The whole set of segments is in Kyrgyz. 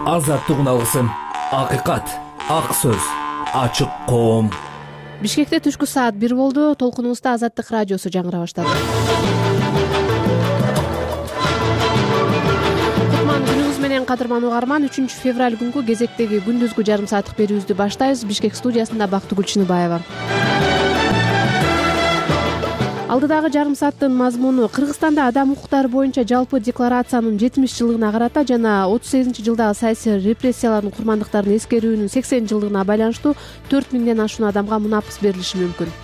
Азаттык алгысым, акыйкат, ак сөз, ачык коом. Бишкекте түшкү саат 1 болду. Толкунубузда Азаттык радиосу жаңыра баштады. Кутман күнүңүз менен кадырман угарман. 3 февраль күнгү кезектеги күндүзгү жарым сааттык берүүбүздү баштайбыз. Бишкек студиясында Бактыгүл Чыныбаева. Алдыдагы жарым сааттын мазмуну: Кыргызстанда адам укуктары боюнча жалпы декларациянын 70 жылдыгына карата жана 38-жылдагы саясий репрессиялардын курмандыктарын эскерүүнүн 80 жылдыгына байланыштуу 4000ден ашуун адамга мунапыс берилиши мүмкүн.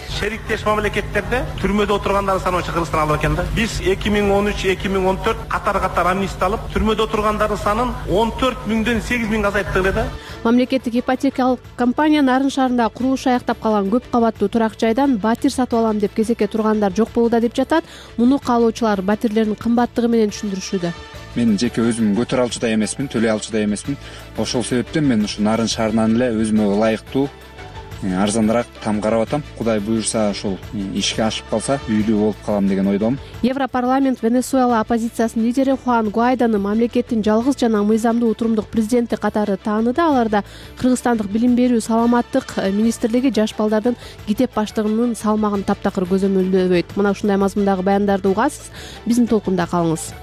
Шериктеш мамлекеттерде түрмөдө отургандардын саны боюнча Кыргызстан алып экен да. Биз 2013-2014 катар амнистия алып, түрмөдө отургандардын санын 14 000ден 8 000 азайттык эле да. Мамлекеттик ипотекалык компания Нарын шаарында курулушу аяктап калган көп кабаттуу турак жайдан батир сатып алам деп кезекке тургандар жок болууда деп жатат. Муну каалоочулар батирлердин кымбаттыгы менен түшүндүрүшүүдө. Мен жеке өзүм көтөрө алчу да эмесмин, төлөй алчу да эмесмин. Ошол себептен мен ушу Нарын шаарынан эле өзүмө ылайыктуу арзаныраак там карап атам. Кудай буюрса ошол ишке ашып калса үйлүү болуп калам деген ойдомун. Европарламент Венесуэла оппозициясынын лидери Хуан Гуайдону мамлекеттин жалгыз жана мыйзамдуу утурумдук президенти катары тааныды. Аларда Кыргызстандык билим берүү, саламаттык министрлиги жаш балдардын гитеп баштыгынын салмагын таптакыр көзөмөлдөбөйт. Мына ушундай мазмундагы баяндарды угасыз. Биздин толкунда калыңыз.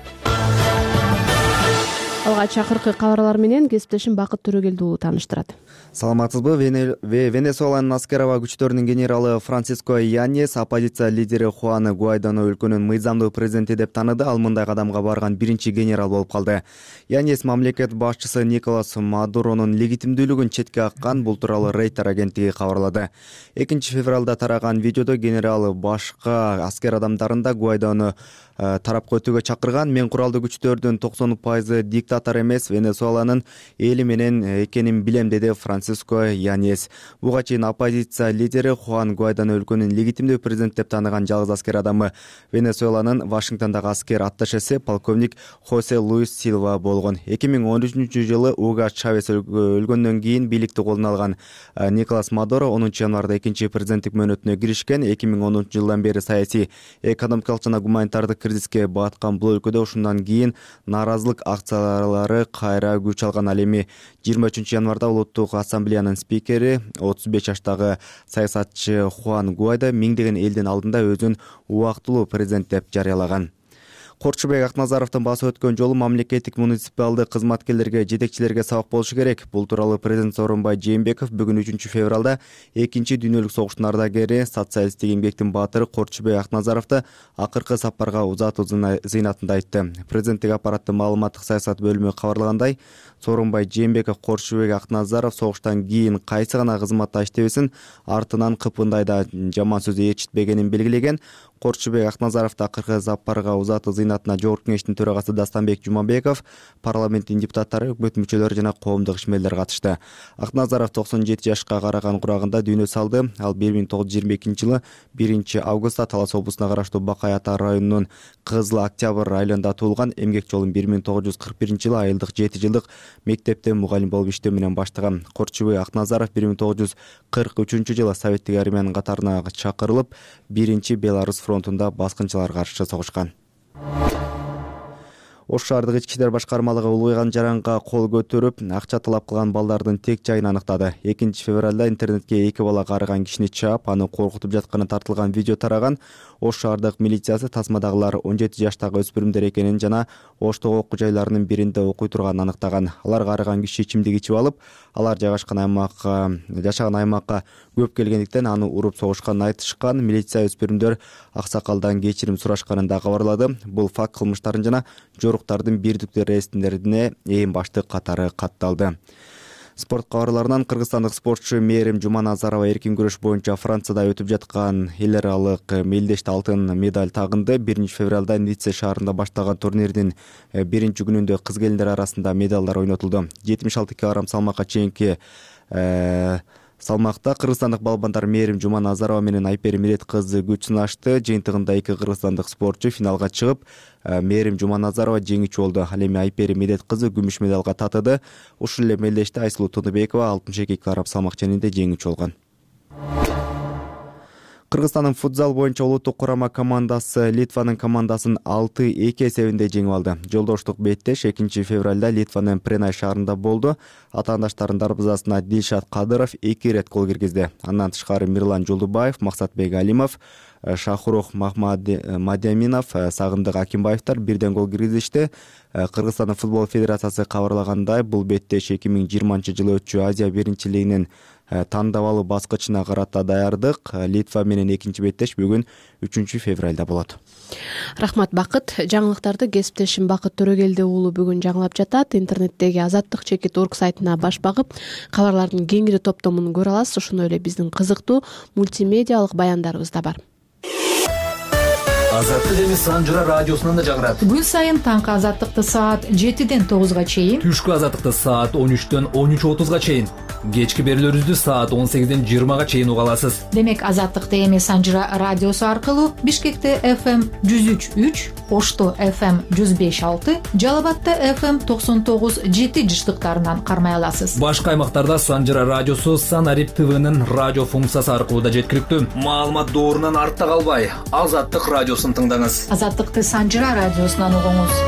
Алгач акыркы кабарлар менен кесиптешим Бакыт Төрөгелди уулу тааныштырат. Саламатсызбы? Венесуэланын аскер аба күчтөрүнүн генералы Франсиско Яньес оппозиция лидери Хуан Гуайдону өлкөнүн мыйзамдуу президенти деп тааныды. Ал мындай кадамга барган биринчи генерал болуп калды. Яньес мамлекет башчысы Николас Мадуронун легитимдүүлүгүн четке каккан. Бул тууралуу Рейтер агенттиги кабарлады. 2 февралда тараган видеодо генерал башка аскер адамдарын да Гуайдону тарапка өтүүгө чакырган. Мен куралдуу күчтөрдүн 90% диктатор эмес, Венесуэланын эли менен экенин билем, деди Франсиско Яньес. Буга чейин оппозиция лидери Хуан Гуайдону өлкөнүн легитимдүү президент деп тааныган жалгыз аскер адамы Венесуэланын Вашингтондагы аскер атташеси полковник Хосе Луис Силва болгон. 2013-жылы Уго Чавес өлгөндөн кийин бийликти колуна алган Николас Мадуро 10 январда 2 президенттик мөөнөтүнө киришкен. 2010-жылдан бери саясий, экономикалык жана гуманитардык кризиске баткан бул өлкөдө ушундан кийин нааразылык акциялары кайра күч алган. Ал эми 23 январда Улуттук ассамблеянын спикери 35 жаштагы саясатчы Хуан Гуайдо миңдеген элдин алдында өзүн убактылуу президент деп жарыялаган. Корчубек Акназаровдун басып өткөн жолу мамлекеттик муниципалдык кызматкерлерге, жетекчилерге сабак болушу керек. Бул тууралуу президент Сооронбай Жээнбеков бүгүн 3 февралда 2 дүйнөлүк согуштун ардагери, социалисттик эмгектин баатыры Корчубек Акназаровду акыркы сапарга узатуу зыйнатында айтты. Президенттик аппараттын маалыматтык саясат бөлүмү кабарлагандай, Сооронбай Жээнбеков Корчубек Акназаров согуштан кийин кайсы гана кызматта иштебесин артынан кыпындайда жаман сөз ээрчитпегенин белгилеген. Корчубек Акназаровду акыркы сапарга узатуу зыйнатына Жогорку кеңештин төрагасы Дастанбек Жумабеков, парламенттин депутаттары, өкмөт мүчөлөрү жана коомдук ишмерлер катышты. Акназаров 97 жашка караган курагында дүйнө салды. Ал 1922-жылы 1-августта Талас облусуна караштуу Бакай Ата районунун Кызыл Октябрь айылында туулган. Эмгек жолун 1941-жылы айылдык 7 жылдык мектепте мугалим болуп иштөө менен баштаган. Корчубек Акназаров 1943-жылы Советтик армиянын катарына чакырылып, 1-Беларус фронтунда баскынчыларга каршы согушкан. Ош шаардык ички иштер башкармалыгы улуйган жаранга кол көтөрүп, акча талап кылган балдардын тек жайын аныктады. 2 февралда интернетке 2 бала карыган кишини чаап, аны коркутуп жатканы тартылган видео тараган. Ош шаардык милициясы тасмадагылар 17 жаштагы өспүрүмдөр экенин жана Оштогу окуу жайларынын биринде окуй турганын аныктаган. Алар карыган киши ичимдик ичип алып, алар жашаган аймакка көп келгендиктен аны уруп согушканын айтышкан. Милиция өспүрүмдөр аксакалдан кечирим сурашканын да кабарлады. Бул факт кылмыштардын жана жоруктардын бирдиктүү реестерине эң баштык катары катталды. Спорт кабарларынан: кыргызстандык спортчу Мээрим Жуманазарова эркин күрөш боюнча Францияда өтүп жаткан эл аралык мелдеште алтын медаль тагынды. 1 февралда Ницце шаарында башталган турнирдин биринчи күнүндө кыз келиндер арасында медалдар ойнотулду. 76 кг салмакка чейинки салмакта кыргызстандык балбандар Мээрим Жуманазарова менен Айпери Мирет кызы күч сынашты. Жыйынтыгында 2 кыргызстандык спортчу финалга чыгып, Мээрим Жуманазарова жеңүүчү болду. Ал эми Айпери Мирет кызы күмүш медалга татыды. Ушул эле мелдеште Айсулуу Тыныбекова 62 кг салмак ченинде жеңүүчү болгон. Кыргызстандын футзал боюнча улуттук курама командасы Литванын командасын 6-2 эсебинде жеңип алды. Жолдоштук беттеш 2 февралда Литванын Пренай шаарында болду. Атаандаштардын дарбазасына Дилшат Кадыров 2 ирет гол киргизди. Андан тышкары Мирлан Жолдубаев, Максатбек Алимов, Шахрух Мадяминов, Сагындык Акимбаевдер бирден гол киргизишти. Кыргызстандын футбол федерациясы кабарлагандай, бул беттеш 2020-жылы өтчү Азия биринчилигинин тандабалуу баскычына карата даярдык. Литва менен экинчи беттеш бүгүн 3 февралда болот. Рахмат Бакыт. Жаңылыктарды кесиптешим Бакыт Төрөгелди уулу бүгүн жаңылап жатат. Интернеттеги azattik.org сайтына баш багып, кабарлардын кеңири топтомун көрө аласыз. Ошондой эле биздин кызыктуу мультимедиалык баяндарыбыз да бар. Азаттык эми Санжыра радиосунан да жагырат. Күн сайын таңкы азаттыкты саат 7-ден 9-га чейин, Түшкү азаттыкты саат 13-төн 13:30-га чейин, кечки берүүлөрүбүздү саат 18-ден 20-га чейин уга аласыз. Демек азаттыкты эми Санжыра радиосу аркылуу Бишкекте FM 103.3, Ошто FM 105.6, Жалал Абадта FM 99.7 жыштыктарынан кармай аласыз. Башка аймактарда Санжыра радиосу Санарип ТВнын радио функциясы аркылуу да жеткиликтүү. Маалымат доорунан артта калбай, Азаттык радиосун тыңдаңыз. Азаттыкты Санжыра радиосунан угуңуз.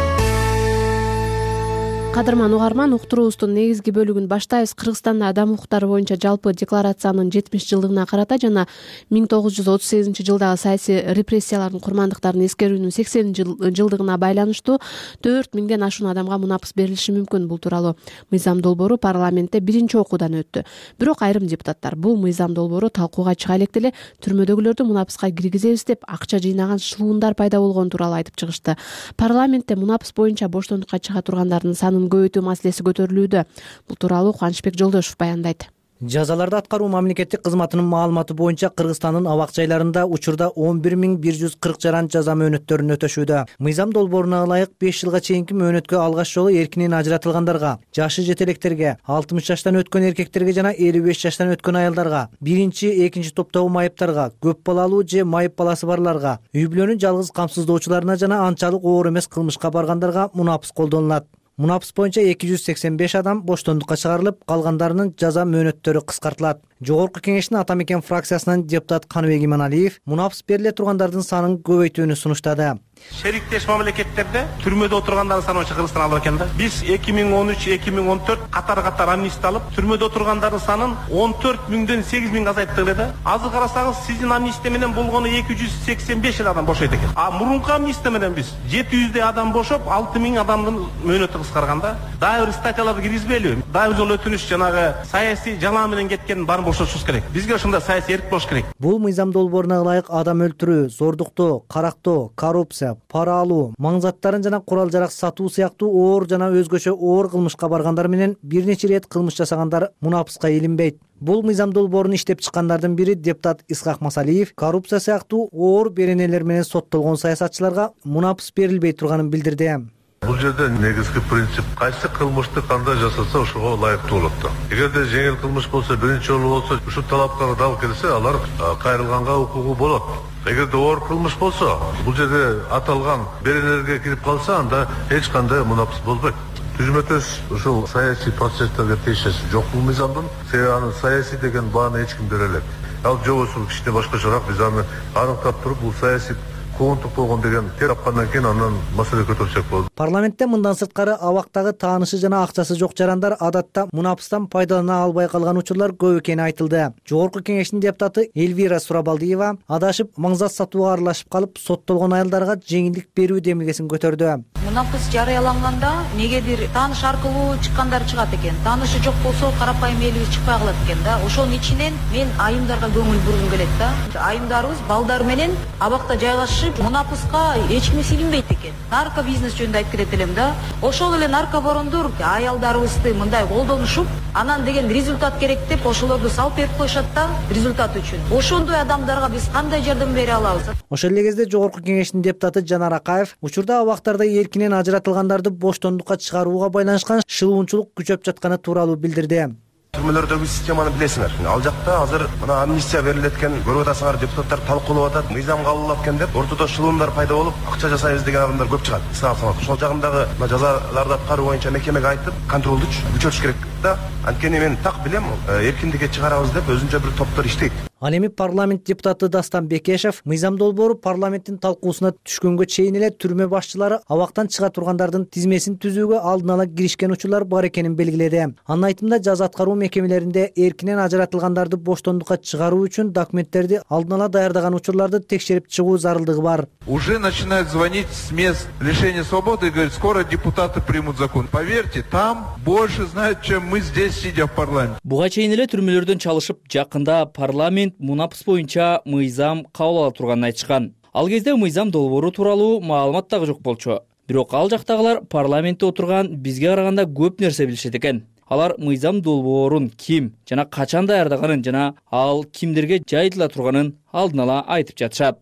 Кадырман угарман, уктуруубуздун негизги бөлүгүн баштайбыз. Кыргызстанда адам укуктары боюнча жалпы декларациянын 70 жылдыгына карата жана 1938-жылдагы саясий репрессиялардын курмандыктарын эскерүүнүн 80 жылдыгына байланыштуу 4000ден ашуун адамга мунапыс берилиши мүмкүн. Бул тууралуу мыйзам долбоору парламентте биринчи окуудан өттү. Бирок айрым депутаттар бул мыйзам долбоору талкууга чыга электе эле түрмөдөгүлөрдү мунапыска киргизебиз деп акча жыйнаган шылуундар пайда болгон тууралуу айтып чыгышты. Парламентте мунапыс боюнча боштондукка чыга тургандардын санын көбөйтүү маселеси көтөрүлүүдө. Бул тууралуу Кубанычбек Жолдошов баяндайт. Жазаларды аткаруу мамлекеттик кызматынын маалыматы боюнча Кыргызстандын абак жайларында учурда 11140 жаран жаза мөөнөттөрүн өтөшүүдө. Мыйзам долбооруна ылайык 5 жылга чейинки мөөнөткө алгач жолу эркинен ажыратылгандарга, жашы жетелектерге, 60 жаштан өткөн эркектерге жана 55 жаштан өткөн аялдарга, биринчи, экинчи топтогу майыптарга, көп балалуу же майып баласы барларга, үй бүлөнүн жалгыз камсыздоочуларына жана анчалык оор эмес кылмышка баргандарга мунапыс колдонулат. Мунапыс боюнча 285 адам боштондукка чыгарылып, калгандарынын жаза мөөнөттөрү кыскартылат. Жогорку кеңештин Ата Мекен фракциясынан депутат Каныбек Иманалиев мунапыс бериле тургандардын санын көбөйтүүнү сунуштады. Шериктеш мамлекеттерде түрмөдө отургандардын саны боюнча Кыргызстан алып экен да. Биз 2013-2014 катар амнистия алып, түрмөдө отургандардын санын 14.000ден 8.000 азайттык эле да. Азыр карасаңыз, сиздин амнистия менен болгону 285 адам бошойт экен. А мурунку амнистия менен биз 700 адам бошоп, 6000 адамдын мөөнөтү кыскарганда, дагы бир статьяларды киргизбейлиби? Дагы бир жолу өтүнүш, жанагы саясий жалаа менен кеткен баарын бошотушубуз керек. Бизге ошондой саясий эрк болуш керек. Бул мыйзам долбооруна ылайык адам өлтүрүү, зордуктоо, карактоо, коррупция, пара алуу, маң заттарын жана курал-жарак сатуу сыяктуу оор жана өзгөчө оор кылмышка баргандар менен бир нече ирет кылмыш жасагандар мунапыска илинбейт. Бул мыйзам долбоорун иштеп чыккандардын бири депутат Исхак Масалиев коррупция сыяктуу оор беренелер менен соттолгон саясатчыларга мунапыс берилбей турганын билдирди. Бул жерде негизги принцип кайсы кылмышты кандай жасаса ошого ылайыктуу болот да. Эгерде жеңил кылмыш болсо, биринчи жолу болсо, ушул талаптар дал келсе, алар кайрылганга укугу болот. Эгерде оор кылмыш болсо, бул жерде аталган беренелерге кирип калса, анда эч кандай мунапыс болбойт. Түзмөтөс ушул саясий процесстерге тиешеси жок бул мыйзамдын. Себеби аны саясий деген бааны эч ким бере элек. Ал жобосу кичине башкачараак, биз аны аныктап туруп, бул саясий коонтук болгон деген тапкандан кийин андан маселе көтөрсөк болот. Парламентте мындан сырткары абактагы таанышы жана акчасы жок жарандар адатта мунапыстан пайдалана албай калган учурлар көп экени айтылды. Жогорку кеңештин депутаты Эльвира Сурабалдиева адашып маңзат сатууга аралашып калып соттолгон аялдарга жеңилдик берүү демилгесин көтөрдү. Мунапыс жарыяланганда негедир тааныш аркылуу чыккандар чыгат экен. Таанышы жок болсо карапайым элибиз чыкпай калат экен да. Ошонун ичинен мен айымдарга көңүл бургум келет да. Айымдарыбыз балдар менен абакта жайгашып мунапыска эч ким силинбейт экен. Нарко бизнес жөнүндө айтып кетет элем да. Ошол эле наркобарондор аялдарыбызды мындай колдонушуп, анан деген результат керек деп ошолорду салып берип коюшат да результат үчүн. Ошондой адамдарга биз кандай жардам бере алабыз? Ошол эле кезде жогорку кеңештин депутаты Жанар Акаев учурда абактарда эркинен ажыратылгандарды боштондукка чыгарууга байланышкан шылуунчулук күчөп жатканы тууралуу билдирди. Түрмөлөрдөгү системаны билесиңер. Ал жакта азыр мына амнистия берилет экен, көрүп атасыңар, депутаттар талкуулап атат, мыйзам кабылдап экен деп, ортодо шылуундар пайда болуп, акча жасайбыз деген адамдар көп чыгат. Ошол жагындагы мына жазаларды аткаруу боюнча мекемеге айтып, контролду күчөтүш керек да. Анткени мен так билем, эркиндикке чыгарабыз деп өзүнчө бир топтор иштейт. Ал эми парламент депутаты Дастан Бекешев мыйзам долбоору парламенттин талкуусуна түшкөнгө чейин эле түрмө башчылары абактан чыга тургандардын тизмесин түзүүгө алдын ала киришкен учурлар бар экенин белгиледи. Анын айтымында жаза аткаруу мекемелеринде эркинен ажыратылгандарды боштондукка чыгаруу үчүн документтерди алдын ала даярдаган учурларды текшерип чыгуу зарылдыгы бар. Уже начинают звонить с мест лишения свободы и говорят, скоро депутаты примут закон. Поверьте, там больше знают, чем мы здесь, сидя в парламенте. Буга чейин эле түрмөлөрдөн чалышып, жакында парламент мунапыс боюнча мыйзам кабыл ала турганын айтышкан. Ал кезде мыйзам долбоору тууралуу маалымат дагы жок болчу. Бирок ал жактагылар парламентте отурган бизге караганда көп нерсе билишет экен. Алар мыйзам долбоорун ким жана качан даярдаганын жана ал кимдерге жайылтыла турганын алдын ала айтып жатышат.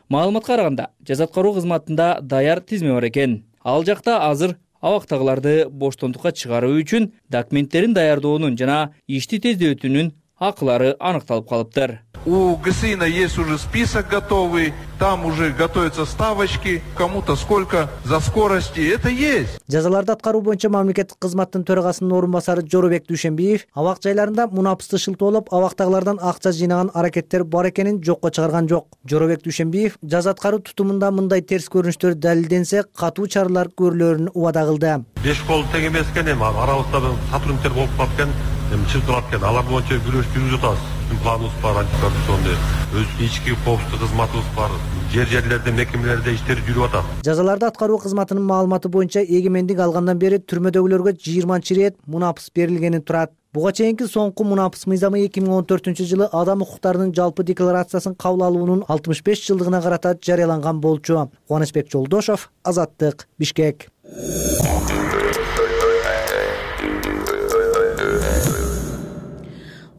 Маалыматка караганда, жаза аткаруу кызматында даяр тизме бар экен. Ал жакта азыр абактагыларды боштондукка чыгаруу үчүн документтерин даярдоонун жана ишти тездетүүнүн акылары аныкталып калыптыр. У ГСИНа есть уже список готовый, там уже готовятся ставочки, кому-то сколько за скорости, это есть. Жазаларды аткаруу боюнча мамлекеттик кызматтын төрагасынын орун басары Жоробек Дүйшенбиев абак жайларында мунапысты шылтоолоп абактагылардан акча жыйнаган аракеттер бар экенин жокко чыгарган жок. Жоробек Дүйшенбиев жаза аткаруу тутумунда мындай терс көрүнүштөр далилденсе катуу чаралар көрүлөрүн убада кылды. Беш кол тең эмес экен, эми арабызда сотрудниктер болуп калып экен, чыгып экен. Алар боюнча күрөш жүргүзүп атабыз. Планыбыз бар, антикоррупционный, өз ички коопсуздук кызматыбыз бар. Жерлерде, мекемелерде иштер жүрүп атат. Жазаларды аткаруу кызматынын маалыматы боюнча эгемендик алгандан бери түрмөдөгүлөргө 20 мунапыс берилгени турат. Буга чейинки соңку мунапыс мыйзамы 2014-жылы адам укуктарынын жалпы декларациясын кабыл алуунун 65 жылдыгына карата жарыяланган болчу. Кубанычбек Жолдошов, Азаттык, Бишкек.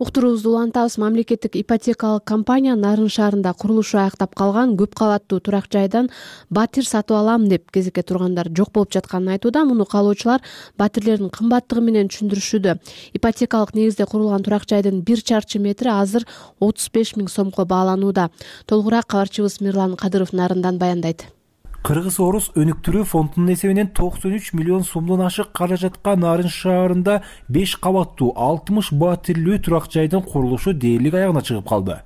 Уктуруубузду улантабыз. Мамлекеттик ипотекалык компания Нарын шаарында курулушу аяктап калган көп кабаттуу турак жайдан батир сатып алам деп кезекке тургандар жок болуп жатканын айтууда. Муну каалоочулар батирлердин кымбаттыгы менен түшүндүрүшүүдө. Ипотекалык негизде курулган турак жайдын 1 чарчы метри азыр 35 000 сомго бааланууда. Толугураак кабарчыбыз Мирлан Кадыров Нарындан баяндайт. Кыргыз-Орус өнүктүрүү фондунун эсебинен 93 миллион сомдон ашык каражатка Нарын шаарында 5 кабаттуу 60 батирлүү турак жайдын курулушу дээрлик аягына чыгып калды.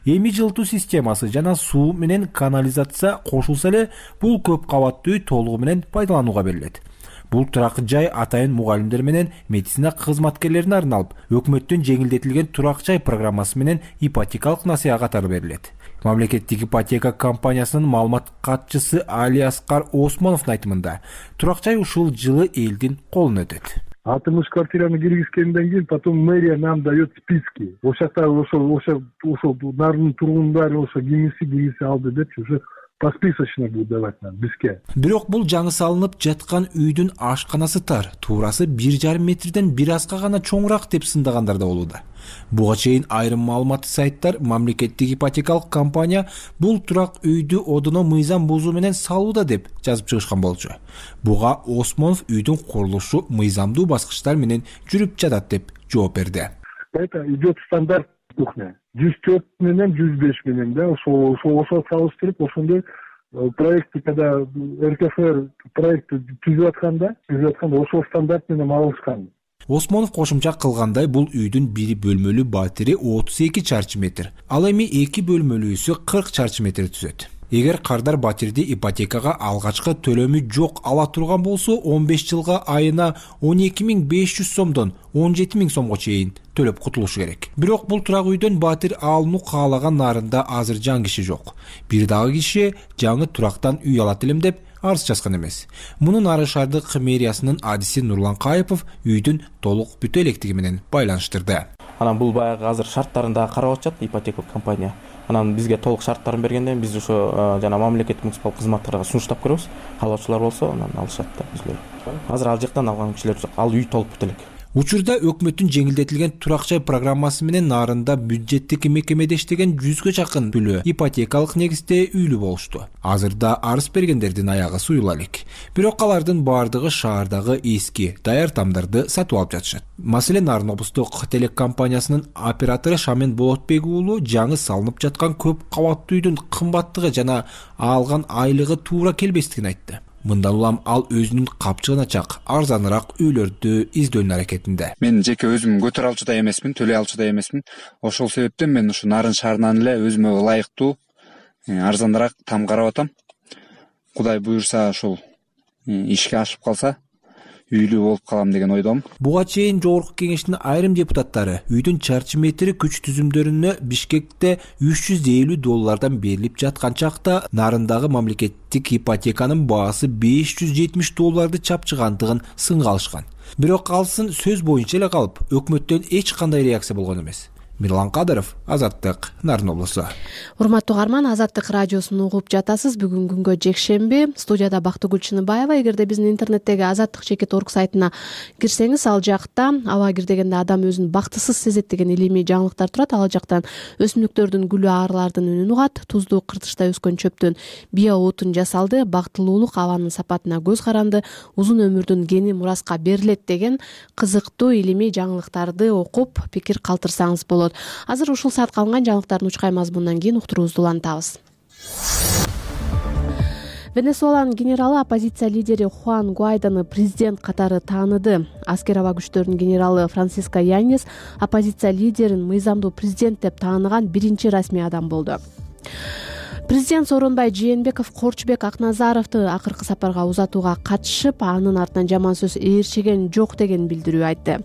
Эми жылытуу системасы жана суу менен канализация кошулса эле бул көп кабаттуу үй толугу менен пайдаланууга берилет. Бул турак жай атайын мугалимдер менен медицина кызматкерлерине арналып, өкмөттүн жеңилдетилген турак жай программасы менен ипотекалык насыя катары берилет. Мамлекеттик ипотека компаниясынын маалымат катчысы Али Аскар Осмоновдун айтымында, турак жай ушул жылы элдин колуна өтөт. 60 квартираны киргизгенден кийин потом мэрия нам дает списки. Ошакта ошо Нардын тургундары ошо кимиси алды деп уже посписочно будет давать нам бизге. Бирок бул жаңы салынып жаткан үйдүн ашканасы тар, туурасы 1,5 метрден бир азга гана чоңураак деп сындагандар да болууда. Буга чейин айрым маалыматтык сайттар мамлекеттик ипотекалык компания бул турак үйдү одоно мыйзам бузуу менен салууда деп жазып чыгышкан болчу. Буга Осмонов үйдүн курулушу мыйзамдуу баскычтар менен жүрүп жатат деп жооп берди. Это идет стандарт кухня. 104 менен 105 менен да ошо салыштырып ошондой проекти когда РКФР проекти түзүп атканда ошол стандарт менен алышкан. Осмонов кошумча кылгандай, бул үйдүн бири бөлмөлүү батири 32 чарчы метр. Ал эми 2 бөлмөлүүсү 40 чарчы метр түзөт. Эгер кардар батирди ипотекага алгачкы төлөмү жок ала турган болсо, 15 жылга айына 12.500 сомдон 17.000 сомго чейин төлөп кутулушу керек. Бирок бул турак үйдөн батир алууну каалаган Нарында азыр жан киши жок. Бир дагы киши жаңы турактан үй алат элем деп арыз жазган эмес. Муну Нарын шаардык мэриясынын адиси Нурлан Кайыпов үйдүн толук бүтө электиги менен байланыштырды. Анан бул баягы азыр шарттарында карап атышат ипотека компания. Анан бизге толук шарттарын бергенден биз ошо жана мамлекеттик муниципалдык кызматтарга сунуштап көрөбүз. Каалоочулар болсо анан алышат да бизлер. Азыр ал жактан алган кишилер жок. Ал үй толуп бүт элек. Учурда өкмөттүн жеңилдетилген турак жай программасы менен Нарында бюджеттик мекемеде иштеген 100гө жакын бүлө ипотекалык негизде үйлүү болушту. Азырда арыз бергендердин аягы суюла элек. Бирок алардын бардыгы шаардагы эски даяр тамдарды сатып алып жатышат. Маселен, Нарын облустук телекомпаниясынын оператору Шамен Болотбек уулу жаңы салынып жаткан көп кабаттуу үйдүн кымбаттыгы жана алган айлыгы туура келбестигин айтты. Мындан улам ал өзүнүн капчыгын ачак, арзаныраак үйлөрдү издөөнүн аракетинде. Мен жеке өзүм көтөрө алчу да эмесмин, төлөй алчу да эмесмин. Ошол себептен мен ушу Нарын шаарынан эле өзүмө ылайыктуу, арзаныраак там карап атам. Кудай буюрса ошол ишке ашып калса, үйлүү болуп калам деген ойдомун. Буга чейин жогорку кеңештин айрым депутаттары үйдүн чарчы метри күч түзүмдөрүнө Бишкекте $350 берилип жаткан чакта Нарындагы мамлекеттик ипотеканын баасы $570 чапчыгандыгын сынга алышкан. Бирок алсын сөз боюнча эле калып, өкмөттөн эч кандай реакция болгон эмес. Мирлан Кадыров, Азаттык, Нарын облусу. Урматтуу угарман, Азаттык радиосун угуп жатасыз. Бүгүн күнгө жекшемби. Студияда Бактыгүл Чыныбаева. Эгерде биздин интернеттеги azаттык.org сайтына кирсеңиз, ал жакта аба кирдегенде адам өзүн бактысыз сезет деген илимий жаңылыктар турат. Ал жактан өсүмдүктөрдүн гүлү арлардын үнүн угат, туздуу кыртышта өскөн чөптөн био отун жасалды, бактылуулук абанын сапатына көз каранды, узун өмүрдүн гени мураска берилет деген кызыктуу илимий жаңылыктарды окуп, пикир калтырсаңыз болот. Азыр ушул саатка алынган жаңылыктардын учкай мазмунунан кийин уктуруубузду улантабыз. Венесуэланын генералы оппозиция лидери Хуан Гуайдону президент катары тааныды. Аскер аба күчтөрүнүн генералы Франсиско Яньес оппозиция лидерин мыйзамдуу президент деп тааныган биринчи расмий адам болду. Президент Сооронбай Жээнбеков Корчубек Акназаровду акыркы сапарга узатууга катышып, анын артынан жаман сөз ээрчиген жок деген билдирүү айтты.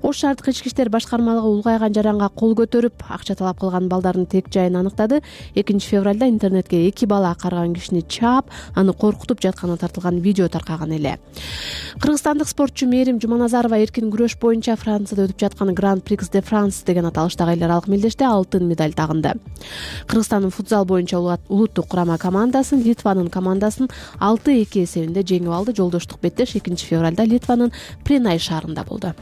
Ош шаардык ички иштер башкармалыгы улгайган жаранга кол көтөрүп, акча талап кылган балдардын тек жайын аныктады. 2-февралда интернетке 2 бала карган кишини чаап, аны коркутуп жатканы тартылган видео таркаган эле. Кыргызстандык спортчу Мерим Жуманазарова эркин күрөш боюнча Францияда өтүп жаткан Grand Prix de France деген аталыштагы эл аралык мелдеште алтын медаль тагынды. Кыргызстандын футзал боюнча улуттук курама командасын Литванын командасын 6-2 эсебинде жеңип алды. Жолдоштук беттеш 2-февралда Литванын Пренай шаарында болду.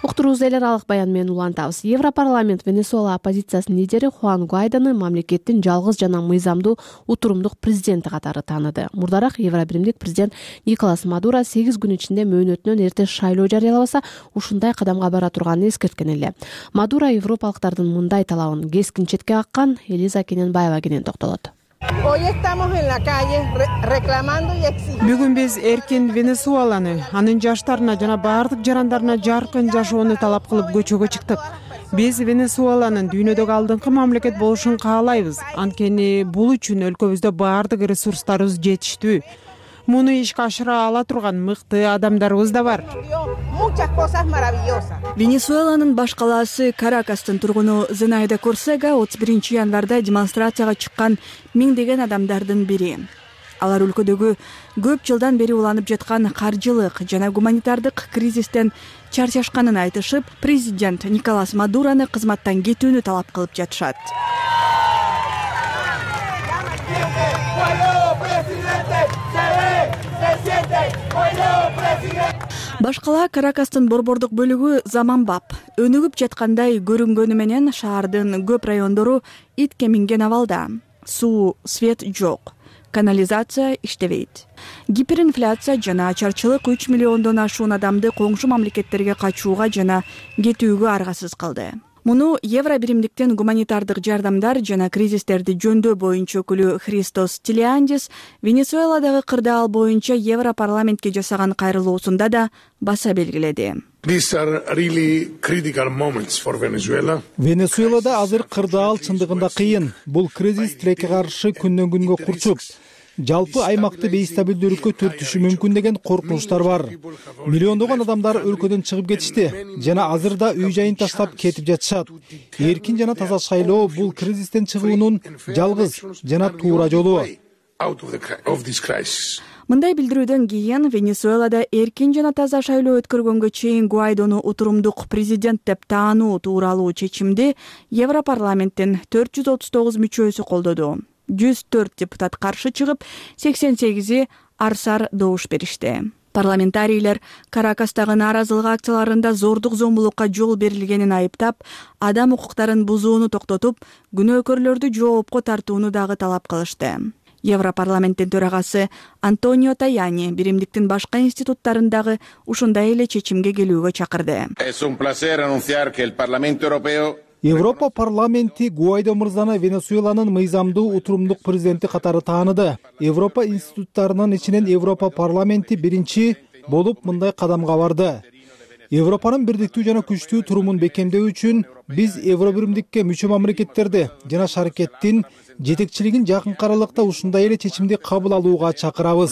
Уктуруубузду эл аралык баян менен улантабыз. Европарламент Венесуэла оппозициясынын лидери Хуан Гуайдону мамлекеттин жалгыз жана мыйзамдуу утурумдук президенти катары тааныды. Мурдараак Евробиримдик президент Николас Мадуро 8 күн ичинде мөөнөтүнөн эрте шайлоо жарыялабаса, ушундай кадамга бара турганын эскерткен эле. Мадуро европалыктардын мындай талабын кескин четке каккан. Элиза Кененбаева кенен токтолот. Бүгүн биз эркин Венесуэланы, анын жаштарына жана баардык жарандарына жаркын жашоону талап кылып көчөгө чыктык. Биз Венесуэланын дүйнөдөгү алдыңкы мамлекет болушун каалайбыз. Анткени бул үчүн өлкөбүздө баардык ресурстарыбыз жетиштүү. Муну ишке ашыра ала турган мыкты адамдарыбыз да бар. Венесуэланын баш калаасы Каракастын тургуну Зенайда Корсега 31 январда демонстрацияга чыккан миңдеген адамдардын бири. Алар өлкөдөгү көп жылдан бери уланып жаткан каржылык жана гуманитардык кризистен чарчашканын айтышып, президент Николас Мадурону кызматтан кетүүнү талап кылып жатышат. Баш кала Каракастын борбордук бөлүгү заманбап, өнүгүп жаткандай көрүнгөнү менен шаардын көп райондору итке минген абалда. Суу, свет жок. Канализация иштебейт. Гиперинфляция жана ачарчылык 3 миллиондон ашуун адамды коңшу мамлекеттерге качууга жана кетүүгө аргасыз кылды. Муну Евробиримдиктен гуманитардык жардамдар жана кризистерди жөндөө боюнча өкүлү Христос Тилиандис Венесуэладагы кырдаал боюнча Европарламентке жасаган кайрылуусунда да баса белгиледи. Венесуэлада азыр кырдаал чындыгында кыйын. Бул кризис тилекке каршы күндөн күнгө курчуп, жалпы аймакты бейстабилдүүлүккө түртүшү мүмкүн деген коркунучтар бар. Миллиондогон адамдар өлкөдөн чыгып кетишти жана азыр да үй жайын таштап кетип жатышат. Эркин жана таза шайлоо бул кризистен чыгуунун жалгыз жана туура жолу. Мындай билдирүүдөн кийин Венесуэлада эркин жана таза шайлоо өткөргөнгө чейин Гуайдону утурумдук президент деп таануу тууралуу чечимди Европарламенттин 439 мүчөсү колдоду. 104 депутат каршы чыгып, 88 арсар добуш беришти. Парламентарийлер Каракастагы нааразылык акцияларында зордук зомбулукка жол берилгенин айыптап, адам укуктарын бузууну токтотуп, күнөөкөрлөрдү жоопко тартууну дагы талап кылышты. Европарламенттин төрагасы Антонио Таяни биримдиктин башка институттарындагы ушундай эле чечимге келүүгө чакырды. Европа парламенти Гуайдо мырзаны Венесуэланын мыйзамдуу утурумдук президенти катары тааныды. Европа институттарынын ичинен Европа парламенти биринчи болуп мындай кадамга барды. Европанын бирдиктүү жана күчтүү турумун бекемдөө үчүн биз Евро биримдикке мүчө мамлекеттерди жана шаркеттин жетекчилигин жакынкы аралыкта ушундай эле чечимди кабыл алууга чакырабыз.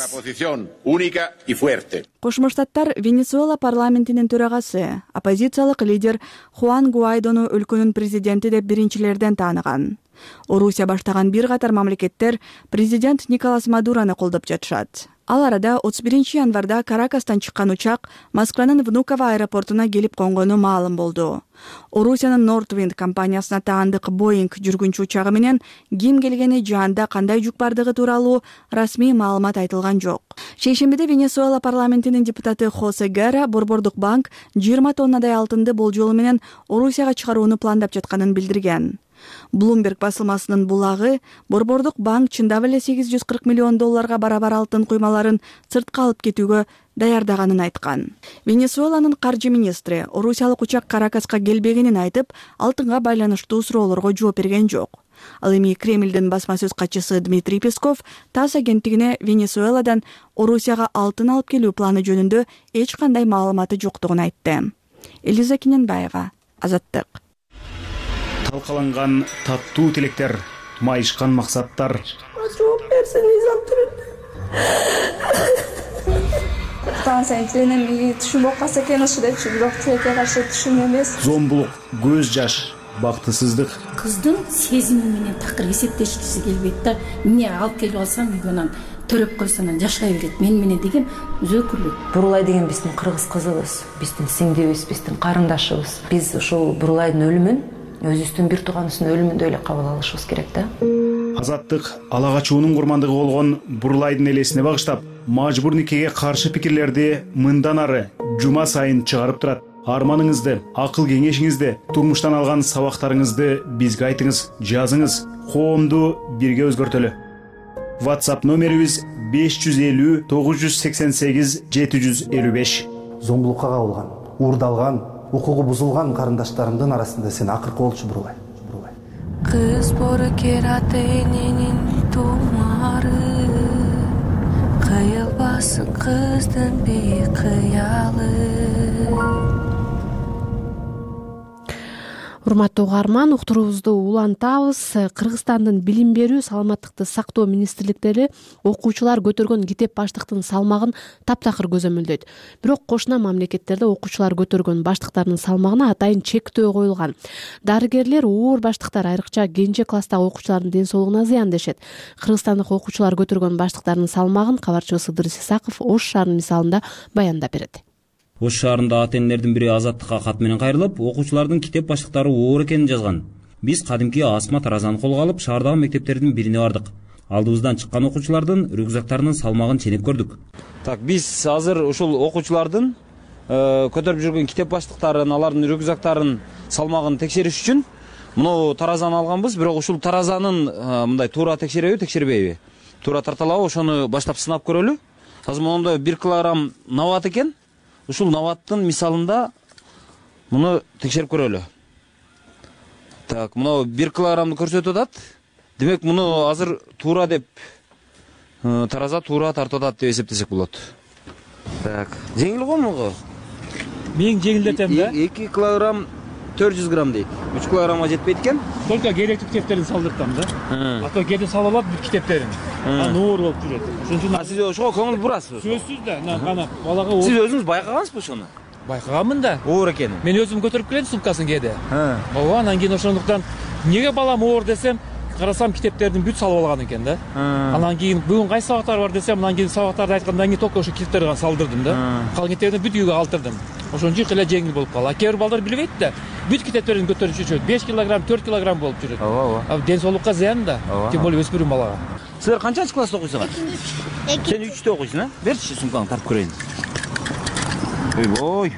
Кошмо Штаттар Венесуэла парламентинин төрагасы, оппозициялык лидер Хуан Гуайдону өлкөнүн президенти деп биринчилерден тааныган. Орусия баштаган бир катар мамлекеттер президент Николас Мадурону колдоп жатышат. Ал арада 31 январда Каракастан чыккан учак Москванын Внуково аэропортуна келип конгону маалым болду. Орусиянын Нортвинд компаниясына таандык Боинг жүргүнчү учагы менен ким келгени жаанда кандай жүк бардыгы тууралуу расмий маалымат айтылган жок. Шейшембиде Венесуэла парламентинин депутаты Хосе Гера Борбордук банк 20 тоннадай алтынды болжолу менен Орусияга чыгарууну пландап жатканын билдирген. Bloomberg басылмасынын булагы Борбордук банк чындап эле $840 миллион барабар алтын куймаларын сыртка алып кетүүгө даярдаганын айткан. Венесуэланын каржы министри орусиялык учак Каракаска келбегенин айтып, алтынга байланыштуу суроолорго жооп берген жок. Ал эми Кремлдин басма сөз катчысы Дмитрий Песков ТАСС агенттигине Венесуэладан Орусияга алтын алып келүү планы жөнүндө эч кандай маалыматы жоктугун айтты. Элиза Кененбаева, Азаттык. Талкаланган таттуу тилектер, майышкан максаттар. Жооп берсин мыйзам түрүндө. Станция тилинен түшүнүп калса экен ушу депчи, бирок тилекке каршы түшүн эмес. Зомбулук, көз жаш, бактысыздык. Кыздын сезими менен такыр эсептешкиси келбейт да. Эмне алып келип алсам үйгөнөн төрөп койсонан жашай берет. Мен менен деген өзөкүлүк. Бурулай деген биздин кыргыз кызыбыз, биздин сиңдибиз, биздин карындашыбыз. Биз ушул Бурулайдын өлүмүн өзүбүздүн бир тууганыбыздын өлүмүндөй эле кабыл алышыбыз керек да. Азаттык ала качуунун курмандыгы болгон Бурулайдын элесине багыштап, мажбур никеге каршы пикирлерди мындан ары жума сайын чыгарып турат. Арманыңызды, акыл кеңешиңизди, турмуштан алган сабактарыңызды бизге айтыңыз, жазыңыз. Коомду бирге өзгөртөлү. WhatsApp номерибиз 550 988 755. Зомбулукка кабылган, уурдалган, укугу бузулган карындаштарымдын арасында сен акыркы болчу Бурулай. Кыз бору кератенинин тумары, кыйылбасын кыздын бейкыялы. Урматтуу угарман, уктуруубузду улантабыз. Кыргызстандын билим берүү, саламаттыкты сактоо министрликтери окуучулар көтөргөн китеп баштыктын салмагын таптакыр көзөмөлдөйт. Бирок кошуна мамлекеттерде окуучулар көтөргөн баштыктардын салмагына атайын чектөө коюлган. Дарыгерлер оор баштыктар айрыкча кенже класстагы окуучулардын ден соолугуна зыян дешет. Кыргызстандык окуучулар көтөргөн баштыктардын салмагын кабарчыбыз Ыдырыс Исаков Ош шаарынын мисалында баяндап берет. Ош шаарында ата-энелердин бири Азаттыкка кат менен кайрылып, окуучулардын китеп баштыктары оор экенин жазган. Биз кадимки Асма Таразаны колго алып, шаардагы мектептердин бирине бардык. Алдыбыздан чыккан окуучулардын рюкзактарынын салмагын ченеп көрдүк. Биз азыр ушул окуучулардын көтөрүп жүргөн китеп баштыктарын, алардын рюкзактарын салмагын текшериш үчүн муну таразаны алганбыз, бирок ушул таразанын мындай туура текшереби, текшербейби? Туура тарталабы, ошону баштап сынап көрөлү. Азыр мондой 1 килограмм нават экен. Ушул наваттын мисалында муну текшерип көрөлү. Муну 1 килограммды көрсөтүп атат. Демек муну азыр туура деп тараза туура тартып атат деп эсептесек болот. Жеңил го муну? Мен жеңилдетем да. 2 килограмм 400 грамм дейт. 3 килограммга жетпейт экен. Только керектүү китептерин салдыртам да. Ато кете салып алат бүт китептерин. Нуур болуп жүрөт. Ошон үчүн сиз ошого көңүл бурасызбы? Сөзсүз да. Кана балага сиз өзүңүз байкагансызбы ошону? Байкаганмын да. Оор экенин. Мен өзүм көтөрүп келем сумкасын кээде. Ооба, анан кийин ошондуктан эмнеге балам оор десем, карасам китептердин бүт салып алган экен да. Анан кийин бүгүн кайсы сабактар бар десем, анан кийин сабактарды айткандан кийин только ошо китептерди гана салдырдым да. Калган китептерди бүт үйгө калтырдым. Ошон үчүн эле жеңил болуп калды. Кээ бир балдар билбейт да. Бүт китептерин көтөрүп жүрөт. 5 килограмм, 4 килограмм болуп жүрөт. Ооба. Ден соолукка зыян да. Тем более өспүрүм балага. Силер канчанчы класста окуйсуңар? Сен 3-тө окуйсуң, а? Берчи сумкаңды тартып көрөйүн. Ойбой.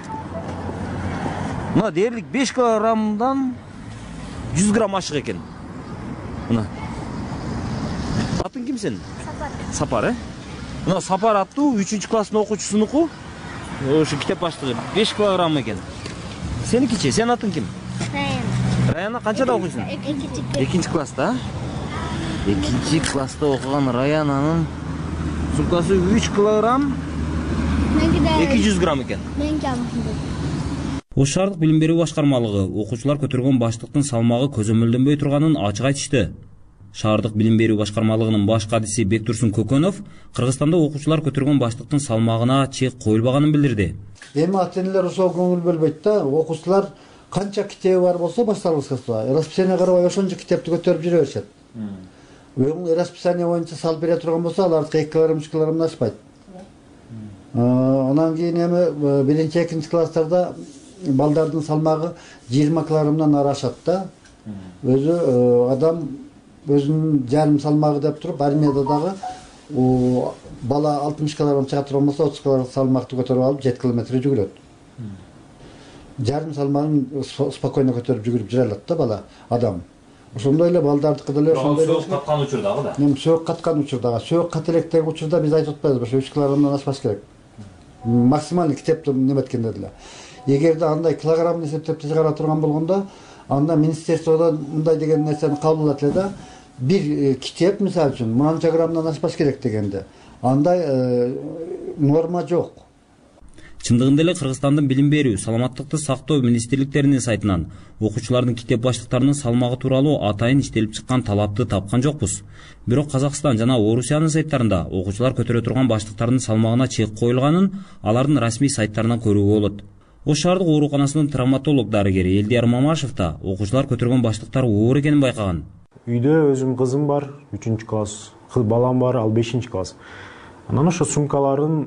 Мына дээрлик 5 килограммдан 100 грамм ашык экен. Мына. Атың ким сенин? Сапар. Сапар, э? Мына Сапар аттуу 3-класстын окуучусунуку. Ошо китеп баштыгы 5 килограмм экен. Сеникичи, сенин атың ким? Раяна канчада окуйсуң? Экинчи класста. Экинчи класста окуган Раянанын сумкасы 3 килограмм 200 грамм экен. Ош шаардык билим берүү башкармалыгы окуучулар көтөргөн баштыктын салмагы көзөмөлдөнбөй турганын ачык айтышты. Шаардык билим берүү башкармалыгынын баш кадиси Бектурсун Көкөнов Кыргызстанда окуучулар көтөргөн баштыктын салмагына чек коюлбаганын билдирди. Эми ата-энелер ошол көңүл бөлбөйт да. Окуучулар канча китеби бар болсо башталгыска расписание карабай ошончо китепти көтөрүп жүрө беришет. Расписание боюнча салып бере турган болсо алардыкы 2 килограмм 3 килограммдан ашпайт. Анан кийин эми биринчи экинчи класстарда балдардын салмагы 20 килограммдан ары ашат да. Өзү адам өзүнүн жарым салмагы деп туруп армияда дагы бала 60 килограмм чыга турган болсо 30 килограмм салмакты көтөрүп алып 7 километр жүгүрөт. Жарым салмагын спокойно көтөрүп жүгүрүп жүрө алат да бала адам. Ошондой эле балдардыкы деле ошондой. Сөөк каткан учурдагы да. Сөөк каткан учурдагы, сөөк кателектеги учурда биз айтып атпайбызбы, ошо 3 килограммдан ашпаш керек. Максималдык китепти неметкенде деле. Эгерде андай килограмм эсептеп чыгара турган болгондо, анда министерстводон мындай деген нерсени кабыл алат эле да. Бир китеп мисалы үчүн мынча граммдан ашпаш керек дегенде. Андай норма жок. Чындыгында эле Кыргызстандын билим берүү, саламаттыкты сактоо министрликтеринин сайтынан окуучулардын китеп баштыктарынын салмагы тууралуу атайын иштелип чыккан талапты тапкан жокпуз. Бирок Казакстан жана Орусиянын сайттарында окуучулар көтөрө турган баштыктардын салмагына чек коюлганын алардын расмий сайттарынан көрүүгө болот. Ош шаардык ооруканасынын травматолог дарыгери Элдияр Мамашев да окуучулар көтөргөн баштыктар оор экенин байкаган. Үйдө өзүм кызым бар, 3-класс, балам бар, ал 5-класс. Анан ошо сумкаларына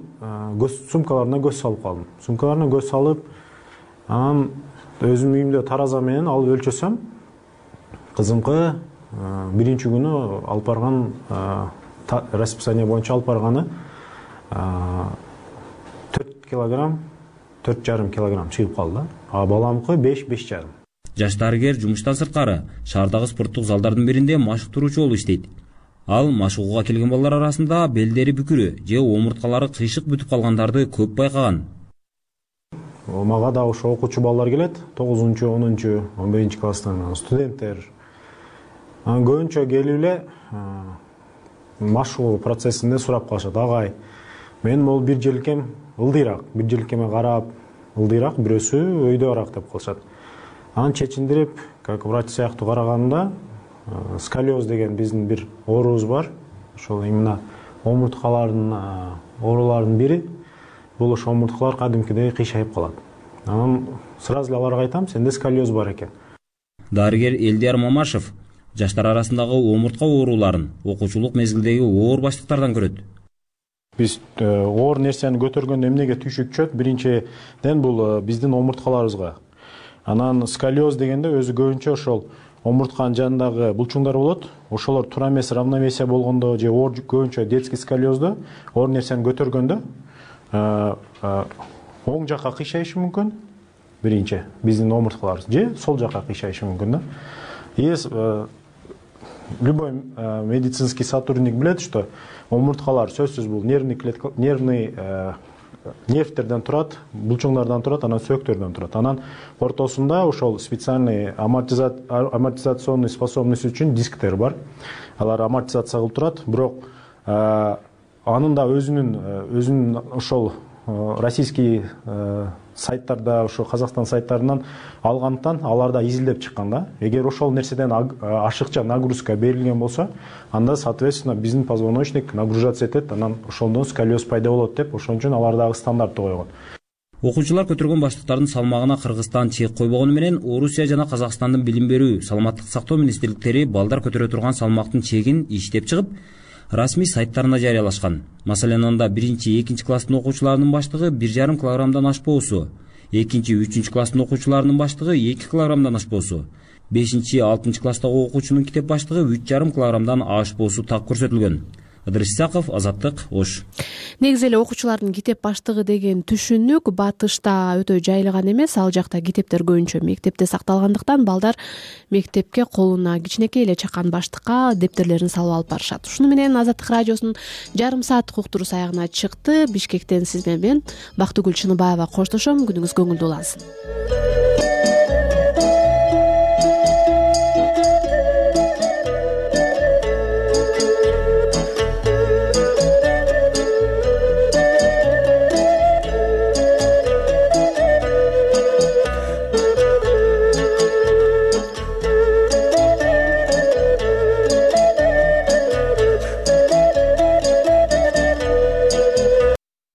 көз салып калдым. Сумкаларына көз салып, анан өзүм үйүмдө тараза менен алып өлчөсөм, кызымкы биринчи күнү алып барган расписание боюнча алып барганы 4 килограмм, 4,5 килограмм чыгып калды. А баламкы 5,5. Жаш дарыгер жумуштан сырткары шаардагы спорттук залдардын биринде машыктыруучу болуп иштейт. Ал машыгууга келген балдар арасында белдери бүкүрү же омурткалары кыйшык бүтүп калгандарды көп байкаган. Мага да ошо окуучу балдар келет, 9-чу, 10-чу, 11-чи класстан студенттер. Көбүнчө келип эле машыгуу процессинде сурап калышат. Агай, мен бул бир желкем ылдыйраак, бир желкеме карап ылдыйраак, бирөөсү өйдөраак деп калышат. Анан чечиндирип, как врач сыяктуу караганымда сколиоз деген биздин бир оорубуз бар. Ошол именно омурткалардын ооруларынын бири. Бул ошо омурткалар кадимкидей кыйшайып калат. Анан сразу эле аларга айтам, сенде сколиоз бар экен. Дарыгер Элдияр Мамашев жаштар арасындагы омуртка ооруларын окуучулук мезгилдеги оор баштыктардан көрөт. Биз оор нерсени көтөргөндө эмнеге түйшүк түшөт? Биринчиден бул биздин омурткаларыбызга. Анан сколиоз дегенде өзү көбүнчө ошол омуртканын жанындагы булчуңдар болот. Ошолор туура эмес равновесие болгондо же оор көбүнчө детский сколиоздо оор нерсени көтөргөндө оң жакка кыйшайышы мүмкүн. Биринчи биздин омурткаларыбыз же сол жакка кыйшайышы мүмкүн да. Любой медицинский сотрудник билет, что омурткалар сөзсүз бул нервный нервтерден турат, булчуңдардан турат, анан сөөктөрдөн турат. Анан ортосунда ошол специальный амортизационный способность үчүн дисктер бар. Алар амортизация кылып турат, бирок анын да өзүнүн ошол российский сайттарда, ошо Казакстан сайттарынан алгандыктан аларда изилдеп чыккан да. Эгер ошол нерседен ашыкча нагрузка берилген болсо, анда соответственно биздин позвоночник нагружаться этет, анан ошондон сколиоз пайда болот деп, ошон үчүн алардагы стандартты койгон. Окуучулар көтөргөн баштыктардын салмагына Кыргызстан чек койбогону менен Орусия жана Казакстандын билим берүү, саламаттык сактоо министрликтери балдар көтөрө турган салмактын чегин иштеп чыгып, расмий сайттарына жарыялашкан. Маселен, анда 1-2 класстын окуучуларынын баштыгы 1,5 килограммдан ашпоосу, 2-3 класстын окуучуларынын баштыгы 2 килограммдан ашпоосу, 5-6 класстагы окуучунун китеп баштыгы 3,5 килограммдан ашпоосу так көрсөтүлгөн. Ыдырыс Исаков, Азаттык, Ош. Негизи эле окуучулардын китеп баштыгы деген түшүнүк батышта өтө жайылган эмес. Ал жакта китептер көбүнчө мектепте сакталгандыктан балдар мектепке колуна кичинекей эле чакан баштыкка дептерлерин салып алып барышат. Ушуну менен Азаттык радиосунун жарым сааттык уктуруусу аягына чыкты. Бишкектен сиз менен Бактыгүл Чыныбаева коштошом. Күнүңүз көңүлдүү улансын.